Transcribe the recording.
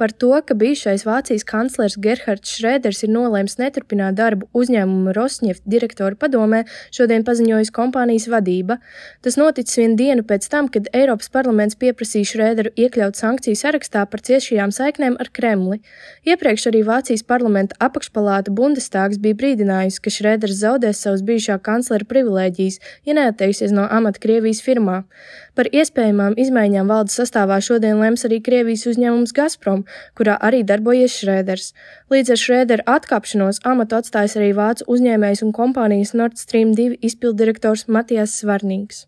Par to, ka bijušais Vācijas kanclers Gerhards Šrēders ir nolēms neturpināt darbu uzņēmuma Rosneft direktora padomē, šodien paziņojusi kompānijas vadība. Tas noticis vienu dienu pēc tam, kad Eiropas parlaments pieprasīja Šrēderu iekļaut sankciju sarakstā par ciešajām saiknēm ar Kremli. Iepriekš arī Vācijas parlamenta apakšpalāta Bundestāgs bija brīdinājusi, ka Šrēders zaudēs savus bijušā kanclera privilēģijas, ja neatteiksies no amata Krievijas firmā. Par iespējamām izmaiņām valdes sastāvā šodien lems arī Krievijas uzņēmums Gazprom, kurā arī darbojies Šrēders. Līdz ar Šrēdera atkāpšanos amatu atstājis arī vācu uzņēmējs un kompānijas Nord Stream 2 izpilddirektors Matijas Svarnīgs.